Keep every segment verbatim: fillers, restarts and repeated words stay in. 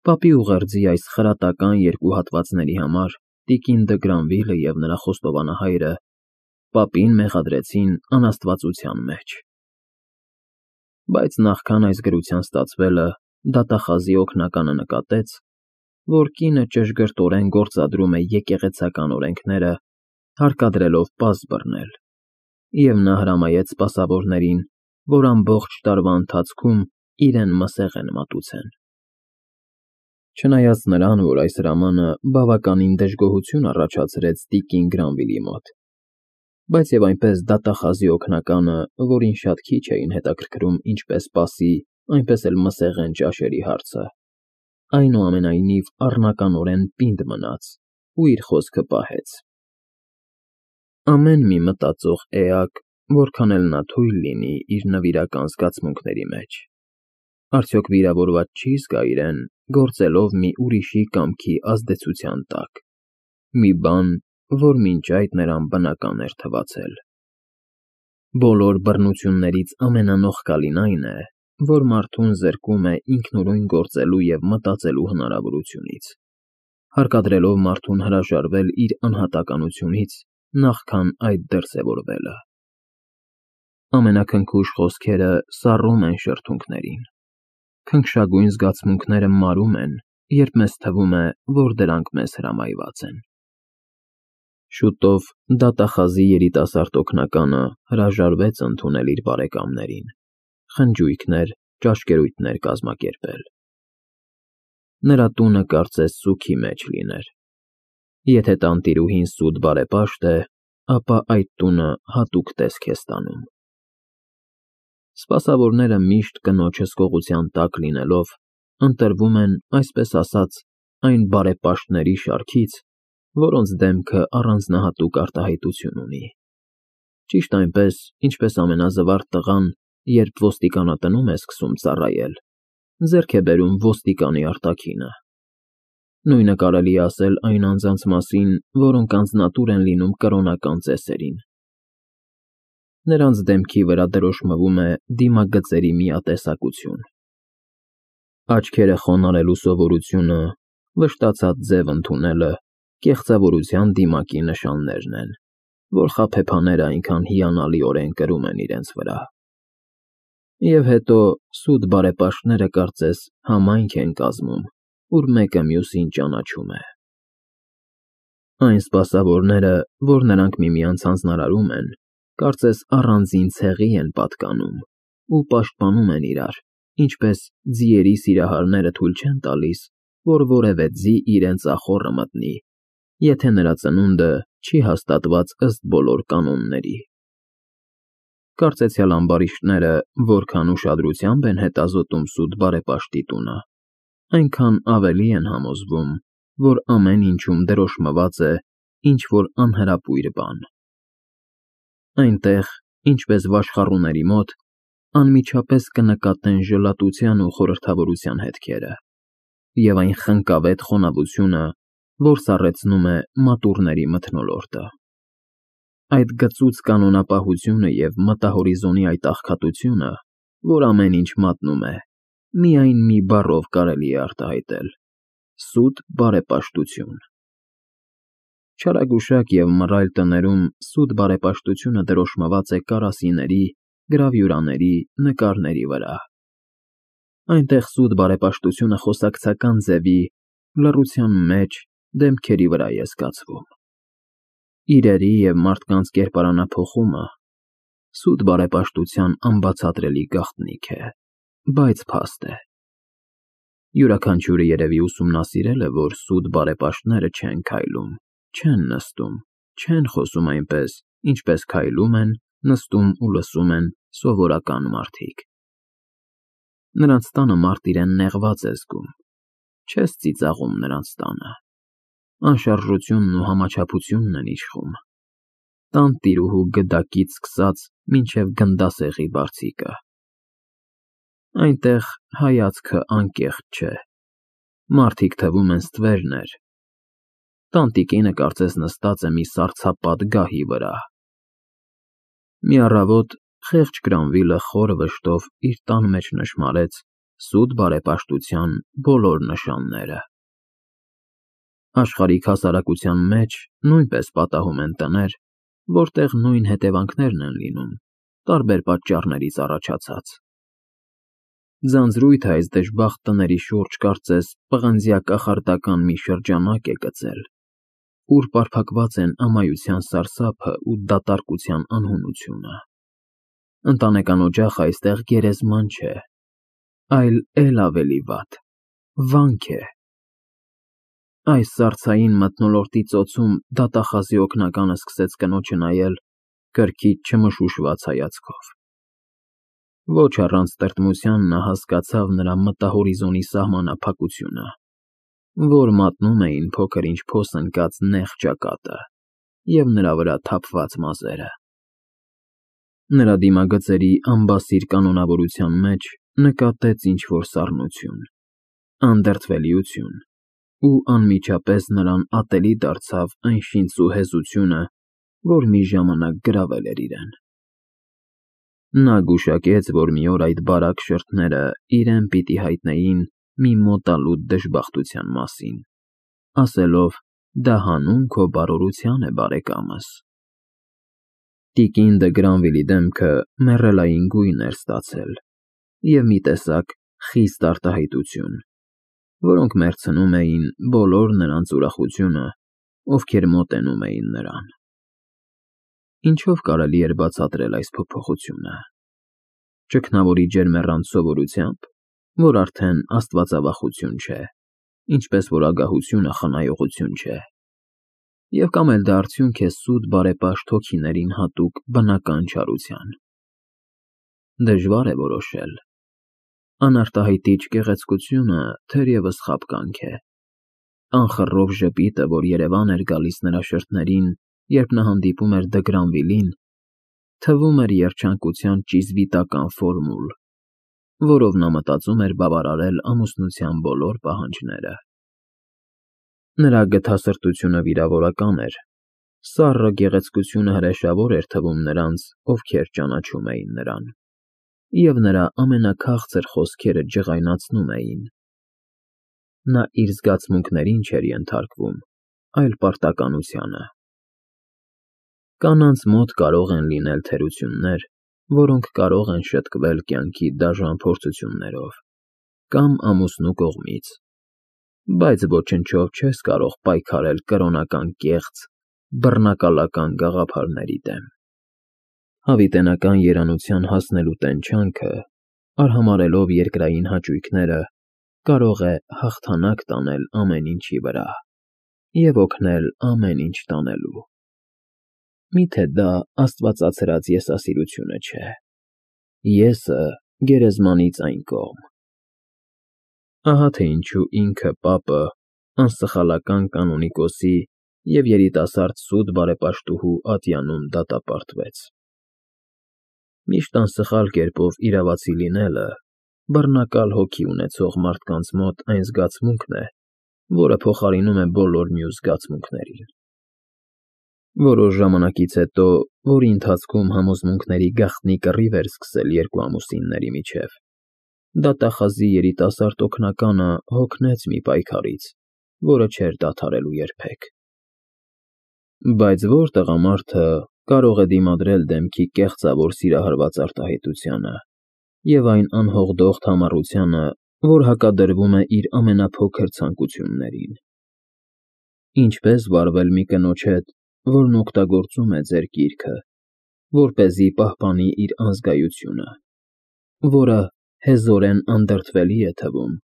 Պապի ուղերձի այս խրատական երկու հատվածների համար տիկին դը Գրանվիլը և նրա խոստովանահայրը պապին մեղադրեցին անաստվածության մեջ։ Բայց նախքան այս գրության ստացվելը դատախազի օգնականը նկատեց, որ կինը ճշգրտորեն գործադրում է եկեղեցական օրենքները, հարկադրելով պարզ բռնել, և նա հրամայեց սպասավորներին, որ ամբողջ տարվա ընթացքում իրեն մսեղեն մատուցեն։ Չնայած նրան, որ այս հրամանը բավականին դժգոհություն առաջացրեց տիկին Գրանվիլի մոտ, բայց և այնպես դատախազի օգնականը, որին շատ քիչ էին հետաքրքրում ինչպես սպասի, այնպես էլ մսեղեն ճաշերի հարցը, այնուամենայնիվ առնականորեն պինդ մնաց ու իր խոսքը պահեց։ Ամեն մի մտածող էակ, որքան էլ նա թույլ լինի իր նվիրական զգացմունքների մեջ, արդյոք վիրավորված չի՞ զգա իրեն գործելով մի ուրիշի կամքի ազդեցության տակ, մի բան, որ մինչ այդ նրան բնական էր թվացել։ Բոլոր բռնություններից ամենանողկալին այն է, որ մարդուն զրկում է ինքնուրույն գործելու և մտածելու հնարավորությունից, հարկադրելով մարդուն հրաժարվել իր անհատականությունից նախքան այդ դրսևորվելը։ Ամենաքնքուշ խոսքերը սառում են շրթունքներին, քնքշագույն զգացմունքները մարում են, երբ մեզ թվում է, որ դրանք մեզ հրամայված են։ Շուտով դատախազի երիտասարդ օգնականը հրաժարվեց ընդունել իր բարեկամներին, խնջույքներ, ճաշկերույթներ կազմակերպել։ Նրա տունը կարծես սուգի մեջ լիներ։ Եթե տանտիրուհին սուտ բարեպաշտ է, ապա այդ տունը հատուկ տեսք է ստանում։ Սպասավորները միշտ կնոջ հսկողության տակ լինելով, ընտրվում են, այսպես ասած, այն բարեպաշտների շարքից, որոնց դեմքը առանձնահատուկ արտահայտություն ունի։ Ճիշտ այնպես, ինչպես ամենազվարթ տղան, երբ ոստիկանատնում է սկսում ծառայել, ձեռք է բերում ոստիկանի արտաքինը։ Նույնը կարելի է ասել այն անձանց մասին, որոնք անձնատուր են լինում կրոնական ծեսերին։ Նրանց դեմքի վրա դրոշմվում է դիմագծերի միատեսակություն։ Աչքերը խոնարհելու սովորությունը, վշտացած ձև ընդունելը կեղծավորության դիմակի նշաններն են, որ խաբեբաները այնքան հիանալիորեն կրում են իրենց վրա։ Եվ հետո սուտ բարեպաշտները կարծես համայնք են կազմում, ուր մեկը մյուսին ճանաչում է։ Այն սպասավորները, որ նրանք միմյանց հանձնարարում են, կարծես առանձին ցեղի են պատկանում ու պաշտպանում են իրար, ինչպես ձիերի սիրահարները թույլ չեն տալիս, որ որևէ ձի իրենց ախոռը մտնի, եթե նրա ծնունդը չի հաստատված ըստ բոլոր կանոնների։ Կարծեցյալ ամբարիշտները որքան ուշադրությամբ են հետազոտում սուտ բարեպաշտի տունը, այնքան ավելի են համոզվում, որ ամեն ինչում դրոշմված է ինչ-որ անհրապույր բան։ Այնտեղ, ինչպես վաշխառուների մոտ, անմիջապես կնկատեն ժլատության ու խորհրդավորության հետքերը և այն խնկավետ խոնավությունը, որ սառեցնում է մատուռների մթնոլորտը։ Այդ գծուծ կանոնապահությունը և մտահորիզոնի այդ աղքատությունը, որ ամեն ինչ մատնում է, միայն մի բառով կարելի է արտահայտել՝ սուտ բարեպաշտություն։ Չարագուշակ և մռայլ տներում սուտ բարեպաշտությունը դրոշմված է կարասիների, գրավյուրաների, նկարների վրա։ Այնտեղ սուտ բարեպաշտությունը խոսակցական ձևի, լռության մեջ, դեմքերի վրա է զգացվում։ Իրերի և մարդկանց կերպարանափոխումը սուտ բարեպաշտության անբացատրելի գաղտնիք է, բայց փաստ է։ Յուրաքանչյուրը երևի ուսումնասիրել է, որ սուտ բարեպաշտները չեն քայլում, չեն նստում, չեն խոսում այնպես, ինչպես քայլում են, նստում ու լսում են սովորական մարդիկ։ Նրանց տանը մարդ իրեն նեղված է զգում, չես ծիծաղում նրանց տանը։ Անշարժությունն ու համաչափությունն են իշխում, տանտիրուհու գդակից սկսած մինչև գնդասեղի բարձիկը։ Այնտեղ հայացքը անկեղծ չէ, մարդիկ թվում են ստվերներ, տանտիկինը կարծես նստած է մի սառցապատ գահի վրա։ Մի առավոտ խեղճ Գրանվիլը խոր վշտով իր տան մեջ նշմարեց սուտ բարեպաշտության բոլոր նշանները։ Աշխարհիկ հասարակության մեջ նույնպես պատահում են տներ, որտեղ նույն հետևանքներն են լինում, տարբեր պատճառներից առաջացած։ Ձանձրույթը այս դժբախտ տների շուրջ կարծես պղնձյա կախարդական մի շրջանակ է գծել, ուր պարփակված են ամայության սարսափը ու դատարկության անհունությունը։ Ընտանեկան օջախը այստեղ գերեզման չէ, այլ էլ ավելի վատ, վանք է։ Այս սառցային մթնոլորտի ծոցում դատախազի օգնականը սկսեց կնոջը նայել կրքից չմշուշված հայացքով։ Ոչ առանց տրտմության նա հասկացավ նրա մտահորիզոնի սահմանափակությունը, որ մատնում էին փոքր-ինչ փոս ընկած նեղ ճակատը և նրա վրա թափված մազերը։ Նրա դիմագծերի անբասիր կանոնավորության մեջ նկատեց ինչ-որ սառնություն, անդրդվելիություն, ու անմիջապես նրան ատելի դարձավ այն շինծու հեզությունը, որ մի ժամանակ գրավել էր իրեն։ Նա գուշակեց, որ մի օր այդ բարակ շրթները իրեն պիտի հայտնեին մի մոտալուտ դժբախտության մասին, ասելով. «Դա հանուն քո բարօրության է, բարեկամս»։ Տիկին Դը Գրանվիլի դեմքը մեռելային գույն էր ստացել և մի տեսակ խիստ արտահայտություն, որոնք մեռցնում էին բոլոր նրանց ուրախությունը, ովքեր մոտենում էին նրան։ Ինչո՞վ կարելի էր բացատրել այս փոփոխությունը։ Ճգնավորի ջերմեռանդ սովորությամբ, որ արդեն աստվածավախություն չէ, ինչպես որ ագահությունը խնայողություն չէ, և կամ էլ դա արդյունք է սուտ բարեպաշտ հոգիներին հատուկ բնական չարության։ Դժվար է որոշել։ Անարտահայտիչ գեղեցկությունը թերևս խաբկանք է։ Անխռով ժպիտը, որ երևան էր գալիս նրա շրթներին, երբ նա հանդիպում էր Դը Գրանվիլին, թվում էր երջանկության ճիզվիտական ֆորմուլ, որով նա մտածում էր բավարարել ամուսնության բոլոր պահանջները։ Նրա գթասրտությունը վիրավորական էր, սառը գեղեցկությունը հրեշավոր էր թվում նրանց, ովքեր ճանաչում էին նրան, և նրա ամենաքաղցր խոսքերը ջղայնացնում էին։ Նա իր զգացմունքներին չէր ենթարկվում, այլ պարտականությանը։ Կանանց մոտ կարող են լինել թերություններ, որոնք կարող են շտկվել կյանքի դաժան փորձություններով կամ ամուսնու կողմից, բայց ոչնչով չես կարող պայքարել կրոնական կեղծ, բռնակալական գաղափարների դեմ։ Հավիտենական երանության հասնելու տենչանքը, արհամարհելով երկրային հաճույքները, կարող է հաղթանակ տանել ամեն ինչի վրա և օգնել ամեն ինչ տանելու։ Մի՞թե դա աստվածացրած եսասիրությունը չէ։ Եսը գերեզմանից այն կողմ։ Ահա թե ինչու ինքը պապը անսխալական կանոնիկոսի և երիտասարդ սուտ բարեպաշտուհու ատյանում դատապարտվեց։ Միշտ անսխալ կերպով իրավացի լինելը բռնակալ հոգի ունեցող մարդկանց մոտ այն զգացմունքն է, որը փոխարինում է բոլոր մյուս զգացմունքներին։ Որոշ ժամանակից հետո, որի ընթացքում համոզմունքների գաղտնի կռիվ էր սկսել երկու ամուսինների միջև, դատախազի երիտասարդ օգնականը հոգնեց մի պայքարից, որը չէր դադարելու երբեք։ Բայց ո՞ր տղամարդը կարող է դիմադրել դեմքի կեղծավոր սիրահարված արտահայտությանը և այն անհողդող համառությանը, որ հակադրվում է իր ամենափոքր ցանկություններին։ Ինչպե՞ս վարվել մի կնոջ հետ, որն օգտագործում է ձեր գիրքը, որպեսզի պահպանի իր անզգայությունը, որը հեզորեն անդրդվելի է թվում,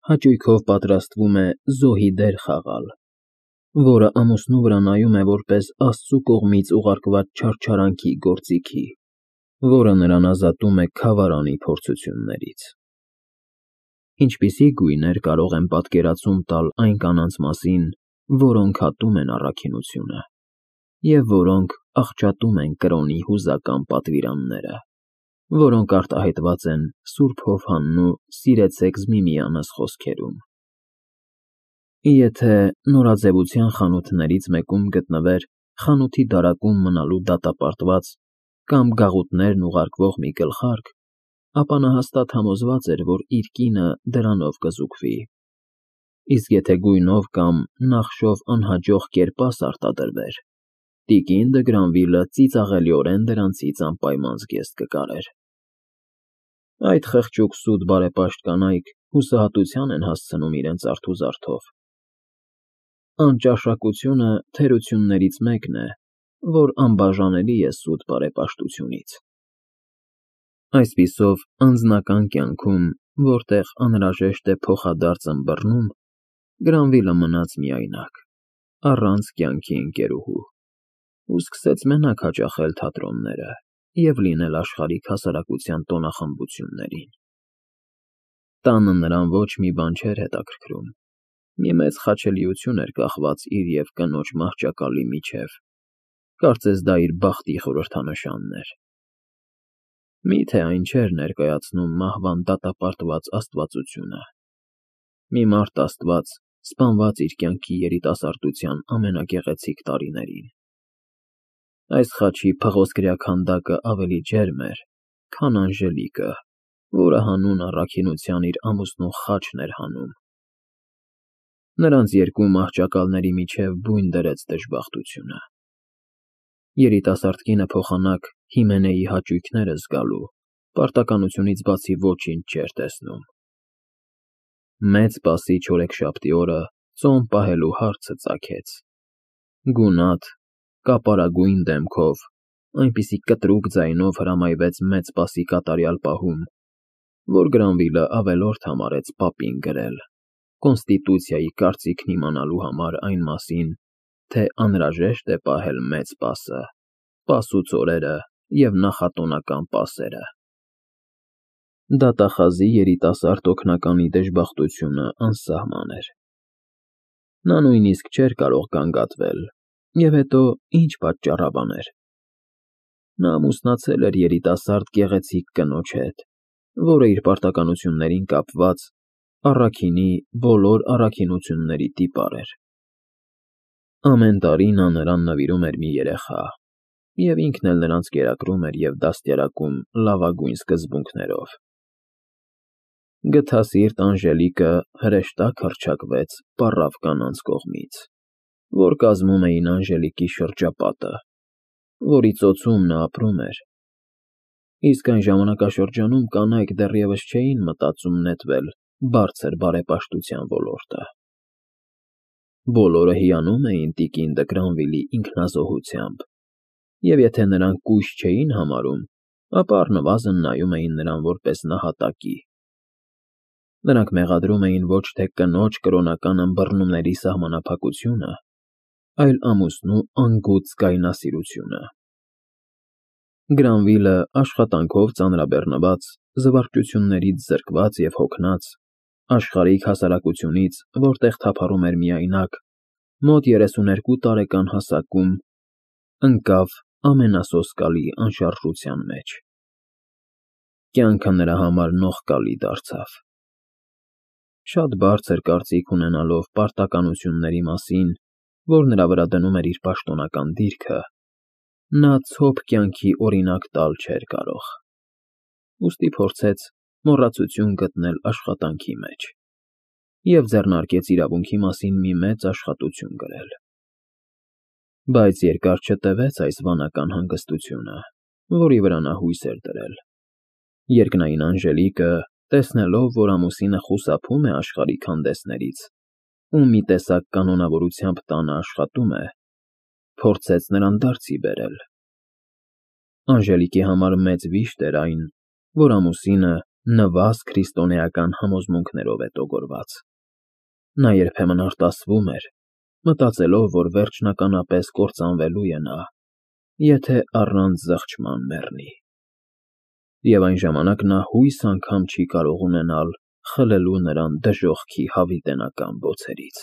հաճույքով պատրաստվում է զոհի դեր խաղալ, որը ամուսնու վրա նայում է որպես Աստծու կողմից ուղարկված չարչարանքի գործիքի, որը նրան ազատում է քավարանի փորձություններից։ Ինչպիսի գույներ կարող են պատկերացում տալ այն կանանց մասին, որոնք հատում են առաքինությունը, և որոնք աղճատում են կրոնի հուզական պատվիրանները, որոնք արտահայտված են Սուրբ Հովհաննու «Սիրեցեք միմյանս» խոսքերում։ Եթե նորաձևության խանութներից մեկում գտնվեր խանութի դարակում մնալու դատապարտված կամ գաղութներն ուղարկվող մի գլխարկ, ապա նա հաստատ համոզված էր, որ իր կինը դրանով կզուգվի, իսկ եթե գույնով կամ նախշով անհաջող կերպաս արտադրվեր, տիկին դը Գրանվիլը ծիծաղելիորեն դրանցից անպայման զգեստ կկարեր։ Այդ խղճուկ սուտ բարեպաշտ կանայք հուսահատության են հասցնում իրենց արթուզարդով։ Անճաշակությունը թերություններից մեկն է, որ անբաժանելի է սուտ բարեպաշտությունից։ Այսպիսով, անձնական կյանքում, որտեղ անհրաժեշտ է փոխադարձ ըմբռնում, Գրանվիլը մնաց միայնակ, առանց կյանքի ընկերուհու, ու սկսեց մենակ հաճախել թատրոնները և լինել աշխարհիկ հասարակության տոնախմբություններին։ Տանը նրան ոչ մի բան չէր հետաքրքրում, մի մեծ խաչելիություն էր կախված իր և կնոջ մահճակալի միջև, կարծես դա իր բախտի խորհրդանշանն էր։ Մի՞թե այն չէր ներկայացնում մահվան դատապարտված աստվածությունը, մի մարդ աստված, սպանված իր կյանքի երիտասարդության ամենագեղեցիկ տարիներին։ Այս խաչի փղոսկրյա քանդակը ավելի ջերմ էր, քան Անժելիկը, որը հանուն առաքինության իր ամուսնու խաչն էր հանում։ Նրանց երկու մահճակալների միջև բույն դրեց դժբախտությունը։ Երիտասարդ կինը փոխանակ Հիմենեի հաճույքները զգալու, պարտականությունից բացի ոչինչ չէր տեսնում։ Մեծ Պասի չորեքշաբթի օրը ծոմ պահելու հարցը ծագեց։ Գունատ, կապարագույն դեմքով, այնպիսի կտրուկ ձայնով հրամայվեց Մեծ Պասի կատարյալ պահում, որ Գրանվիլը ավելորդ համարեց պապին գրել, կոնստիտուցիայի կարծիքն իմանալու համար այն մասին, թե անհրաժեշտ է պահել Մեծ Պասը, Պասուց օրերը և նախատոնական պասերը։ Դատախազի երիտասարդ օգնականի դժբախտությունը անսահման էր։ Նա նույնիսկ չէր կարող գանգատվել, և հետո ինչ պատճառաբաներ։ Նա ամուսնացել էր երիտասարդ գեղեցիկ կնոջ հետ, որը իր պարտականություններին կապված առաքինի բոլոր առաքինությունների տիպար էր։ Ամեն տարի նա նրան նվիրում էր մի երեխա, և ինքն էլ նրանց կերակրում էր և դաստիարակում լավագույն սկզբունքներով։ Գթասիրտ Անժելիկը հրեշտակ հռչակվեց պառավ կանանց կողմից, որ կազմում էին Անժելիկի շրջապատը, որի ծոցում նա ապրում էր, իսկ այն ժամանակաշրջանում կանայք դեռևս չէին մտածում նետվել բարձր բարեպաշտության ոլորտը։ Բոլորը հիանում էին տիկին դը Գրանվիլի ինքնազոհությամբ, և եթե նրան կույս չէին համարում, ապա առնվազն նայում էին նրան որպես նահատակի։ Նրանք մեղադրում էին ոչ թե կնոջ կրոնական ըմբռնումների սահմանափակությունը, այլ ամուսնու անգութ զգայնասիրությունը։ Գրանվիլը աշխատանքով ծանրաբեռնված, զվարճություններից զրկված և հոգնած, աշխարհիկ հասարակությունից, որտեղ թափառում էր միայնակ, մոտ երեսուներկու տարեկան հասակում, ընկավ ամենասոսկալի անշարժության մեջ։ Կյանքը նրա համար նողկալի դարձավ։ Շատ բարձր կարծիք ունենալով պարտականությունների մասին, որ նրա վրա դնում էր իր պաշտոնական դիրքը, նա ցոփ կյանքի օրինակ տալ չէր կարող, ուստի փորձեց մոռացություն գտնել աշխատանքի մեջ և ձեռնարկեց իրավունքի մասին մի մեծ աշխատություն գրել։ Բայց երկար չտևեց այս վանական հանգստությունը, որի վրա նա հույս էր դրել։ Երկնային Անժելիկը, տեսնելով, որ ամուսինը խուսափում է աշխարհիկ հանդեսներից ու մի տեսակ կանոնավորությամբ տանը աշխատում է, փորձեց նրան դարձի բերել։ Անժելիկի համար մեծ վիշտ էր այն, որ ամուսինը նվազ քրիստոնեական համոզմունքներով է տոգորված։ Նա երբեմն արտասվում էր, մտածելով, որ վերջնականապես կործանվելու է նա, եթե առանց զղջման մեռնի։ Եվ այն ժամանակ նա հույս անգամ չի կարող ունենալ խլելու նրան դժոխքի հավիտենական բոցերից։